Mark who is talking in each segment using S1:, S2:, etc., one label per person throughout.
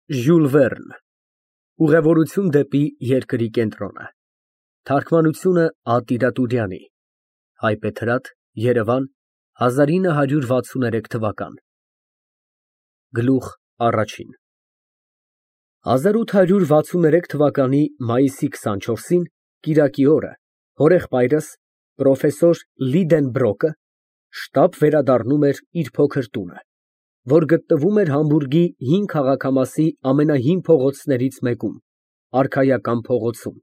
S1: Ժյուլ Վերն, Ուղևորություն դեպի երկրի կենտրոնը, Թարգմանությունը Ա Տիրատուրյանի, Հայբեթրատ, Երևան 1963 թվական։ Գլուխ առաջին 1863 թվականի մայիսի 24-ին կիրակի օրը հորեղբայրս պրոֆեսոր Լիդենբրոկը շտապ վերադառնում էր իր փոքր տունը, որ գտնվում էր Համբուրգի հին քաղաքամասի ամենահին փողոցներից մեկում, Արքայական փողոցում։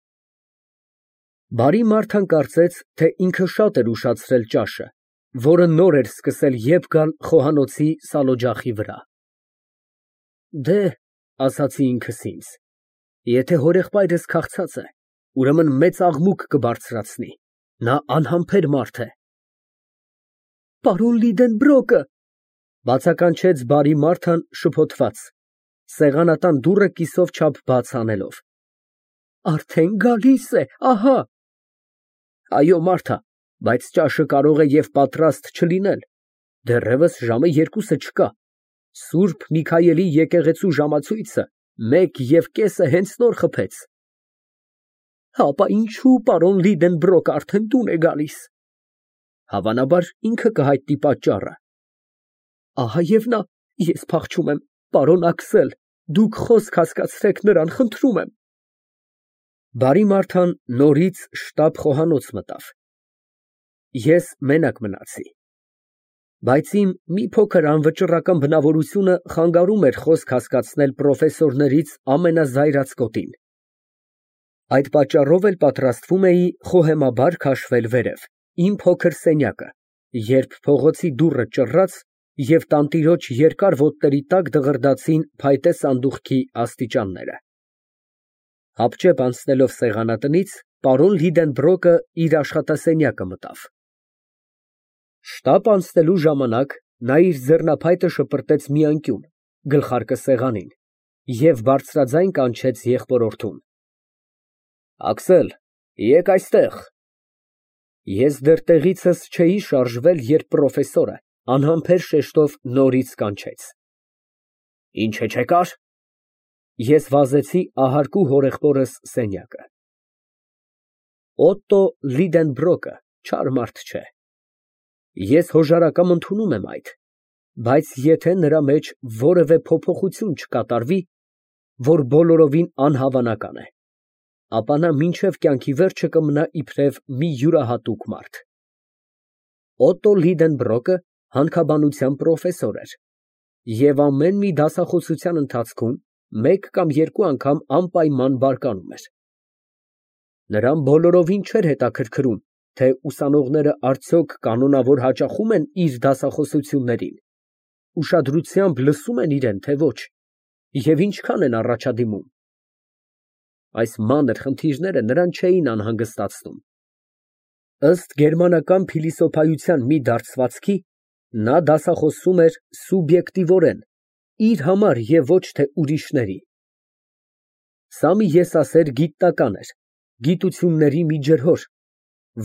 S1: Բարի Մարթան կարծեց, թե ինքը շատ էր ուշացրել ճաշը, որը նոր էր սկսել եբ գալ խոհանոցի սալօջախի վրա։ Դե, ասացի ինքս ինձ, եթե հորեղբայրս քաղցած է, ուրեմն մեծ աղմուկ կբարձրացնի, նա անհամբեր մարդ է։ Պարոն Լիդենբրոկը, բացականչեց բարի Մարթան շփոթված, սեղանատան դուռը կիսով չափ բաց անելով։ Արդեն գալիս է, ահա։ Այո, Մարթա, բայց ճաշը կարող է և պատրաստ չլինել, դեռևս ժամը 2-ը չկա, Սուրբ Միքայելի եկեղեցու ժամացույցը 1:30 հենց նոր խփեց։ Հապա ինչու պարոն Լիդենբրոկը արդեն տուն է գալիս։ Հավանաբար ինքը կհայտնի պատճառը։ Ահա և նա, ես փախչում եմ, պարոն Աքսել, դուք խոսք հասկացրեք նրան, խնդրում եմ։ Բարի Մարթան նորից շտապ խոհանոց մտավ։ Ես մենակ մնացի։ Բայց իմ մի փոքր անվճռական բնավորությունը խանգարում էր խոսք հասկացնել պրոֆեսորներից ամենազայրացկոտին։ Այդ պատճառով էլ պատրաստվում էի խոհեմաբար քաշվել վերև, իմ փոքր սենյակը, երբ փողոցի դուռը ճռռաց և տանտիրոջ երկար ոտների տակ դղրդացին փայտե սանդուղքի աստիճանները։ Հապճեպ անցնելով սեղանատնից, պարոն Լիդենբրոկը իր աշխատասենյակը մտավ։ Շտապ անցնելու ժամանակ նա իր ձեռնափայտը շպրտեց մի անկյուն, գլխարկը սեղանին, և բարձրաձայն կանչեց եղբորորդուն. Աքսել, եկ այստեղ։ Ես դեռ տեղիցս չէի շարժվել, երբ պրոֆեսորը անհամբեր շեշտով նորից կանչեց. Ինչ է չեկար։ Ես վազեցի ահարկու հորեղբորս սենյակը։ Օտտո Լիդենբրոկը չար մարդ չէ։ Ես հոժարակամ ընդունում եմ այդ, բայց եթե նրա մեջ որևէ փոփոխություն չկատարվի, որ բոլորովին անհավանական է, ապա նա մինչև կյանքի վերջը կմնա իբրև մի յուրահատուկ մարդ։ Օտտո Լիդենբրոկը հանքաբանության պրոֆեսոր էր և ամեն մի դասախոսության ընթացքում մեկ կամ երկու անգամ անպայման բարկանում էր։ Նրան բոլորովին չէր հետաքրքրում, թե ուսանողները արդյոք կանոնավոր հաճախում են իր դասախոսություններին, ուշադրությամբ լսում են իրեն, թե ոչ, և ինչքան են առաջադիմում։ Այս մանր խնդիրները նրան չէին անհանգստացնում։ Ըստ գերմանական փիլիսոփայության մի դարձվածքի, նա դասախոսում էր սուբյեկտիվորեն, իր համար և ոչ թե ուրիշների։ Սա մի եսասեր գիտնական էր, գիտությունների մի ջրհոր,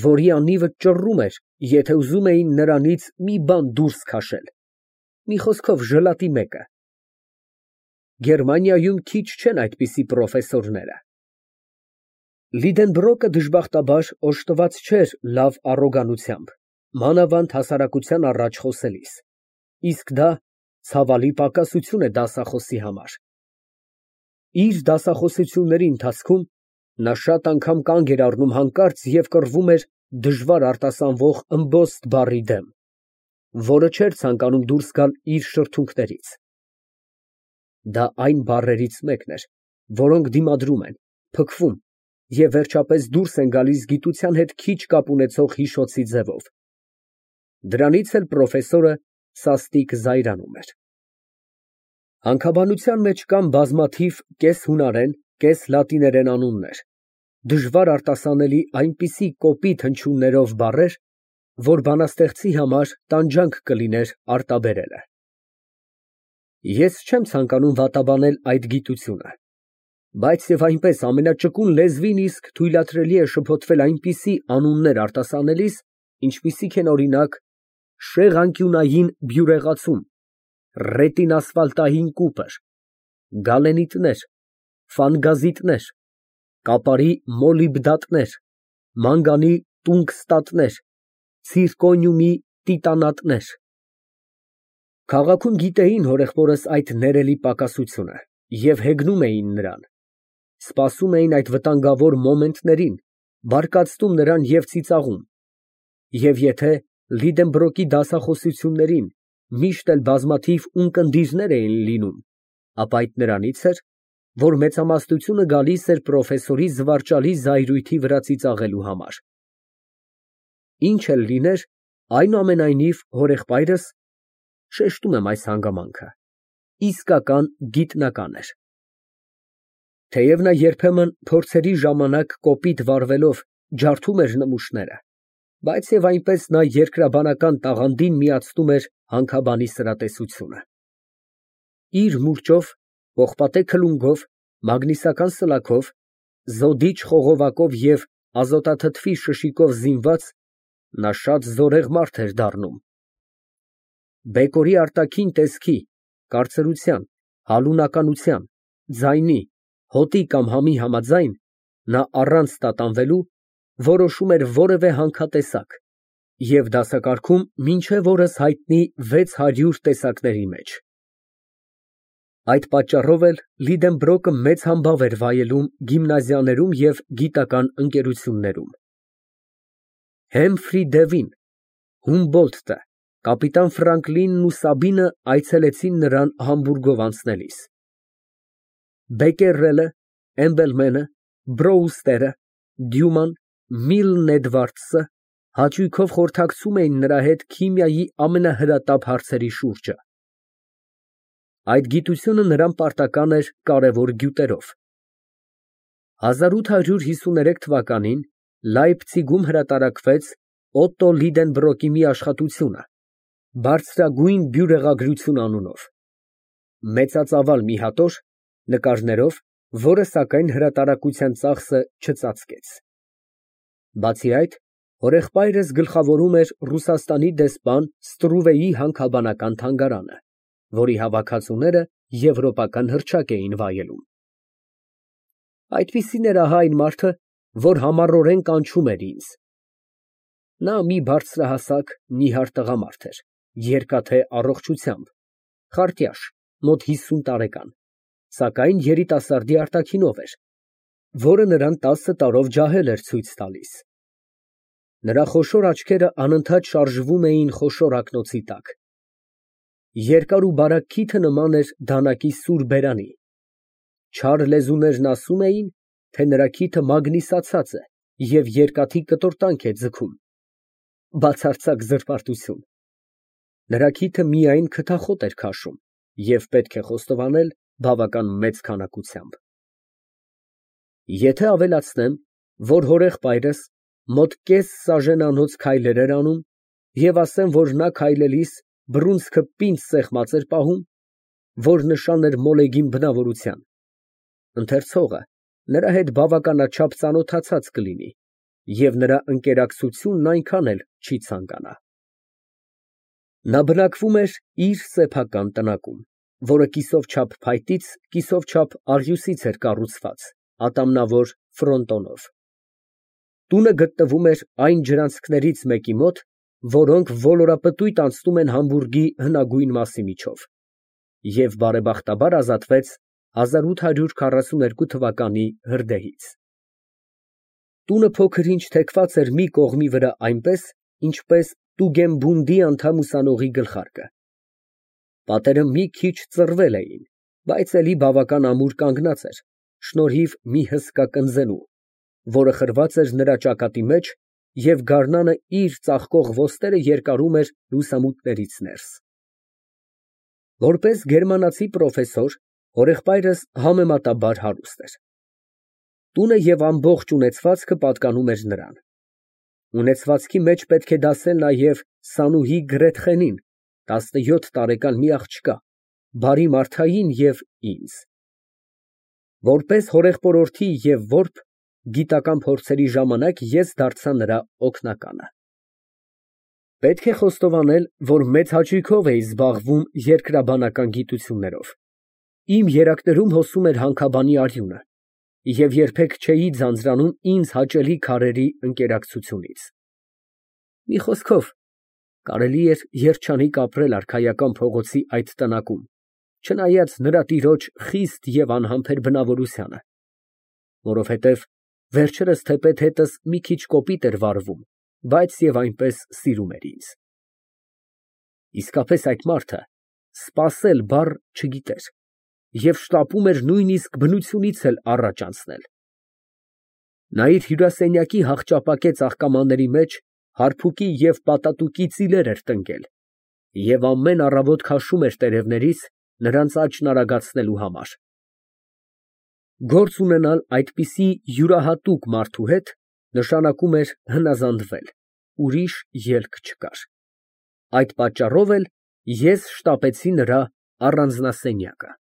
S1: որի անիվը ճռռում էր, եթե ուզում էին նրանից մի բան դուրս քաշել, մի խոսքով ժլատի մեկը։ Գերմանիայում քիչ չեն այդպիսի պրոֆեսորները։ Լիդենբրոկը դժբախտաբար օժտված չէր լավ առոգանությամբ, մանավանդ հասարակության առաջ խոսելիս, իսկ դա ցավալի պակասություն է դասախոսի համար։ Իր դասախոսությունների ընթացքում նա շատ անգամ կանգ էր առնում հանկարծ և կռվում էր դժվար արտասանվող ըմբոստ բառի դեմ, որը չէր ցանկանում դուրս գալ իր շրթունքներից։ Դա այն բառերից մեկն էր, որոնք դիմադրում են, փքվում և վերջապես դուրս են գալիս գիտության հետ քիչ կապ ունեցող հիշոցի ձևով։ Դրանից էլ պրոֆեսորը սաստիկ զայրանում էր։ Հանքաբանության մեջ կան բազմաթիվ կես֊հունարեն, կես֊լատիներեն անուններ, դժվար արտասանելի այնպիսի կոպիտ հնչյուններով բառեր, որ բանաստեղծի համար տանջանք կլիներ արտաբերելը։ Ես չեմ ցանկանում վատաբանել այդ գիտությունը, բայց և այնպես ամենաճկուն լեզվին իսկ թույլատրելի է շփոթվել այնպիսի անուններ արտասանելիս, ինչպիսիք են, օրինակ, շեղանկյունային բյուրեղացում, ռետինասֆալտային կուպր, գալենիտներ, ֆանգազիտներ, կապարի մոլիբդատներ, մանգանի տունգստատներ, ցիրկոնիումի տիտանատներ։ Քաղաքում գիտեին հորեղբորս այդ ներելի պակասությունը և հեգնում էին նրան, սպասում էին այդ վտանգավոր մոմենտներին, բարկացնում նրան և ծիծաղում, և եթե Լիդենբրոկի դասախոսություններին միշտ էլ բազմաթիվ ունկնդիրներ էին լինում, ապա այդ նրանից էր, որ մեծամասնությունը գալիս էր պրոֆեսորի զվարճալի զայրույթի վրա ծիծաղելու համար։ Ինչ էլ լիներ, այնուամենայնիվ հորեղբայրս, շեշտում եմ այս հանգամանքը, իսկական գիտնական էր։ Թեև նա երբեմն փորձերի ժամանակ կոպիտ վարվելով ջարդում էր նմուշները, բայց և այնպես նա երկրաբանական տաղանդին միացնում էր հանքաբանի սրատեսությունը։ Իր մուրճով, պողպատե քլունգով, մագնիսական սլաքով, զոդիչ խողովակով և ազոտաթթվի շշիկով զինված նա շատ զորեղ մարդ էր դառնում։ Բեկորի արտաքին տեսքի, կարծրության, հալունակության, ձայնի, հոտի կամ համի համաձայն, նա առանց տատանվելու որոշում էր որևէ հանքատեսակ և դասակարգում մինչև օրս հայտնի 600 տեսակների մեջ։ Այդ պատճառով էլ Լիդենբրոկը մեծ համբավ էր վայելում գիմնազիաներում և գիտական ընկերություններում։ Հեմֆրի Դևին, Հումբոլդտը, կապիտան Ֆրանկլինն ու Սաբինը այցելեցին նրան Համբուրգով անցնելիս։ Բեկերելը, Էմբելմենը, Բրոուստերը, Դյուման, Միլն Էդվարդսը հաճույքով խորհրդակցում էին նրա հետ քիմիայի ամենահրատապ հարցերի շուրջը։ Այդ գիտությունը նրան պարտական էր կարևոր գյուտերով։ 1853 թվականին Լայպցիգում հրատարակվեց Օտտո Լիդենբրոկի մի աշխատությունը «Բարձրագույն բյուրեղագրություն» անունով, մեծածավալ մի հատոր, նկարներով, որը, սակայն, հրատարակության ծախսը չծածկեց։ Բացի այդ, հորեղբայրս գլխավորում էր Ռուսաստանի դեսպան Ստրուվեի հանքաբանական թանգարանը, որի հավաքածուները եվրոպական հռչակ էին վայելում։ Այդպիսին էր ահա այն մարդը, որ համառորեն կանչում էր ինձ։ Նա մի բարձրահասակ, նիհար տղամարդ էր, երկաթե առողջությամբ, խարտյաշ, մոտ 50 տարեկան, սակայն երիտասարդի արտաքինով էր, որը նրան 10 տարով ջահել էր ցույց տալիս։ Նրա խոշոր աչքերը անընդհատ շարժվում էին խոշոր ակնոցի տակ։ Երկար ու բարակ քիթը նման էր դանակի սուր բերանի։ Չար լեզուներն ասում էին, թե նրա քիթը մագնիսացած է և երկաթի կտորտանք է ձգում։ Բացարձակ զրպարտություն։ Նրա քիթը միայն քթախոտ էր քաշում և պետք է խոստովանել բավական մեծ քանակությամբ։ Եթե ավելացնեմ, որ հորեղբայրս մոտ կես սաժենանոց քայլեր էր անում և ասեմ, որ նա քայլելիս բռունցքը պինդ սեղմած էր պահում, որ նշան էր մոլեգին բնավորության, ընթերցողը նրա հետ բավականաչափ ծանոթացած կլինի և նրա ընկերակցությունն այնքան էլ չի ցանկանա։ Նա բնակվում էր իր սեփական տնակում, որը կիսով չափ փայտից, կիսով չափ աղյուսից էր կառուցված, ատամնավոր ֆրոնտոնով։ Տունը գտնվում էր այն ջրանցքներից մեկի մոտ, որոնք ոլորապտույտ անցնում են Համբուրգի հնագույն մասի միջով, և բարեբախտաբար ազատվեց 1842 թվականի հրդեհից։ Տունը փոքր-ինչ թեքված էր մի կողմի վրա այնպես, ինչպես Տուգենբունդի անդամ ուսանողի գլխարկը։ Պատերը մի քիչ ծռվել էին, բայց էլի բավական ամուր կանգնած էր, շնորհիվ մի հսկա կնզենու, որը խրված էր նրա ճակատի մեջ և գարնանը իր ծաղկող ոստերը երկարում էր լուսամուտներից ներս։ Որպես գերմանացի պրոֆեսոր, հորեղբայրս համեմատաբար հարուստ էր։ Տունը և ամբողջ ունեցվածքը պատկանում էր նրան։ Ունեցվածքի մեջ պետք է դասել նաև Սանուհի Գրետխենին, 17 տարեկան մի աղջկա, բարի մարդային և ինձ։ Որպես հորեղբորորդի և որբ, գիտական փորձերի ժամանակ ես դարձա նրա օգնականը։ Պետք է խոստովանել, որ մեծ հաճույքով էի զբաղվում երկրաբանական գիտություններով, Իմ երակներում հոսում էր հանքաբանի արյունը և երբեք չէի ձանձրանում ինձ հաճելի քարերի ընկերակցությունից։ Մի խոսքով, կարելի էր երջանիկ ապրել արքայական փողոցի այդ տնակում, չնայած նրա տիրոջ խիստ և անհամբեր բնավորությանը, որովհետև վերջերս թեպետ հետս մի քիչ կոպիտ էր վարվում, բայց և այնպես սիրում էր ինձ։ Իսկապես այդ մարդը «սպասել» բառ չգիտեր և շտապում էր նույնիսկ բնությունից էլ առաջ անցնել։ Նա իր հյուրասենյակի հախճապակե ծաղկամանների մեջ հարբուկի և պատատուկի ծիլեր էր տնկել և ամեն առավոտ քաշում էր տերևներից, նրանց աճն արագացնելու համար։ Գործ ունենալ այդպիսի յուրահատուկ մարդու հետ նշանակում էր հնազանդվել, ուրիշ ելք չկար։ Այդ պատճառով էլ ես շտապեցի նրա առանձնասենյակը։